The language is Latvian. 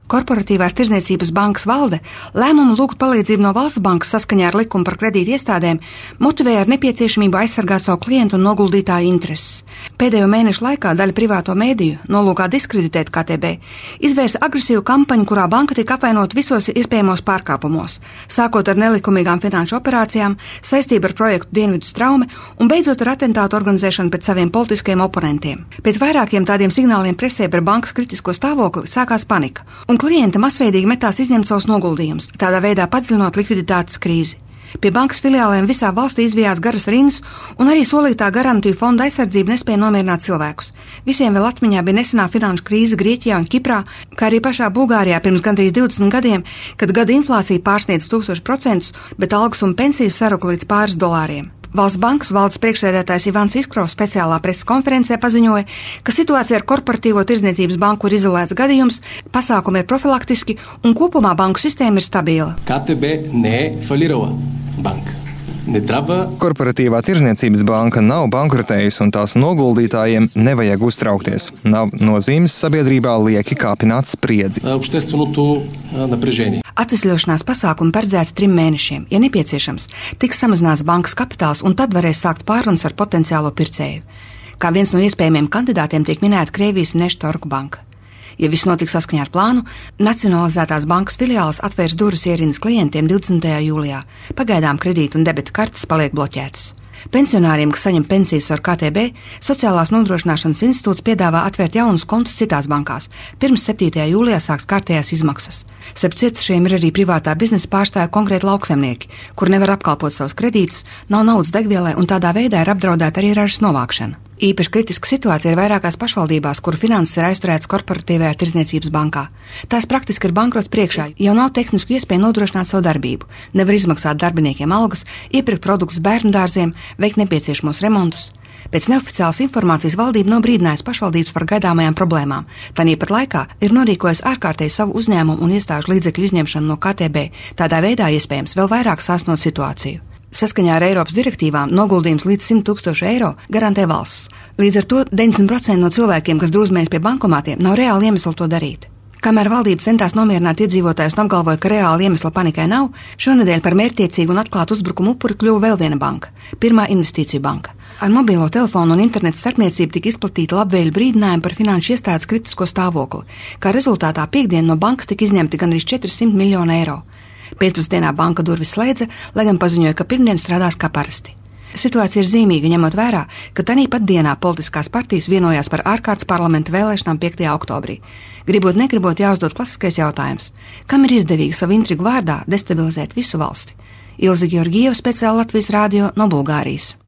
Korporatīvās tirdzniecības bankas valde lēmumu lūgt palīdzību no Valsts bankas saskaņā ar likumu par kredīti iestādēm motivēja ar nepieciešamību aizsargāt savu klientu un noguldītāju intereses. Pēdējo mēnešu laikā daļa privāto mēdīju, nolūkā diskreditēt KTB, izvērsa agresīvu kampaņu, kurā banka tika apvainota visos iespējamos pārkāpumos, sākot ar nelikumīgām finanšu operācijām, saistību ar projektu Dienvidu straume un beidzot ar atentātu organizēšanu pret saviem politiskiem oponentiem. Pēc vairākiem tādiem signāliem presē par bankas kritisko stāvokli sākās panika, un klienti masveidīgi metās izņemt savus noguldījumus, tādā veidā padziļinot likviditātes krīzi. Pie bankas filiālēm visā valstī izvijās garas rindas, un arī solītā garantiju fonda aizsardzība nespēja nomierināt cilvēkus. Visiem vēl atmiņā bija nesenā finanšu krīze Grieķijā un Kiprā, kā arī pašā Bulgārijā pirms gandrīz 20 gadiem, kad gada inflācija pārsniedz 1000%, bet algas un pensijas saruka līdz pāris dolāriem. Valsts bankas valdes priekšsēdētājs Ivans Iskrovs speciālā preses konferencē paziņoja, ka situācija ar korporatīvo tirdzniecības banku ir izolēts gadījums, pasākumi ir profilaktiski un kopumā banku sistēma ir stabila. KTB ne falirala banka. Korporatīvā tirdzniecības banka nav bankrotējusi un tās noguldītājiem nevajag uztraukties. Nav nozīmes sabiedrībā lieki kāpināt spriedzi. Atvesļošanās pasākumi paredzēti 3 mēnešiem. Ja nepieciešams, tiks samazināts bankas kapitāls un tad varēs sākt pārunas ar potenciālo pircēju. Kā viens no iespējamiem kandidātiem tiek minēta Krievijas Neštorku banka. Ja viss notiks saskaņā ar plānu, nacionalizētās bankas filiāles atvērs durvis ierindas klientiem 20. jūlijā. Pagaidām kredītu un debeta kartes paliek bloķētas. Pensionāriem, kas saņem pensijas ar KTB, Sociālās nodrošināšanas institūts piedāvā atvērt jaunus kontus citās bankās. Pirms 7. jūlijā sāks kārtējās izmaksas. Starp cietušiem ir arī privātā biznesa pārstāvja konkrēti lauksaimnieki, kur nevar apkalpot savus kredītus, nav naudas degvielai un tādā veidā ir apdraudēta arī ražas novākšana. Īpaši kritiska situācija ir vairākās pašvaldībās, kuru finanses ir aizturētas korporatīvajā tirdzniecības bankā. Tās praktiski ir bankrota priekšā, jau nav tehnisku iespēju nodrošināt savu darbību, nevar izmaksāt darbiniekiem algas, iepirkt produktus bērnu dārziem, veikt nepieciešamos remontus. Pēc neoficiālas informācijas valdība nav brīdinājusi pašvaldības par gaidāmajām problēmām. Tāpat laikā ir norīkojusi ārkārtēji savu uzņēmumu un iestāžu līdzekļu izņemšanu no KTB, tādā veidā iespējams vēl vairāk sāsnot situāciju. Saskaņā ar Eiropas direktīvām noguldījums līdz 100 000 eiro garantē valsts. Līdz ar to 90% no cilvēkiem, kas drūzmējas pie bankomātiem, nav reāli iemesli to darīt. Kamēr valdība centās nomierināt iedzīvotājus un apgalvoja, ka reāli iemesla panikai nav, šonedēļ par mērķtiecīgu un atklātu uzbrukumu upuri kļuva vēl viena banka – Pirmā investīciju banka. Ar mobilo telefonu un internetu starpniecību tika izplatīta labvēļu brīdinājumi par finanšu iestādes kritisko stāvokli. Kā rezultātā piekdien no bankas tika izņemti gandrīz 400 miljoni eiro. Pēcpusdienā banka durvis slēdza, lai gan paziņoja, ka pirmdien strādās kā parasti. Situācija ir zīmīga, ņemot vērā, ka tāpat dienā politiskās partijas vienojās par ārkārtas parlamenta vēlēšanām 5. oktobrī. Gribot negribot jāuzdod klasiskais jautājums, kam ir izdevīgi savu intrigu vārdā destabilizēt visu valsti? Ilze Georgieva, speciāli Latvijas radio no Bulgārijas.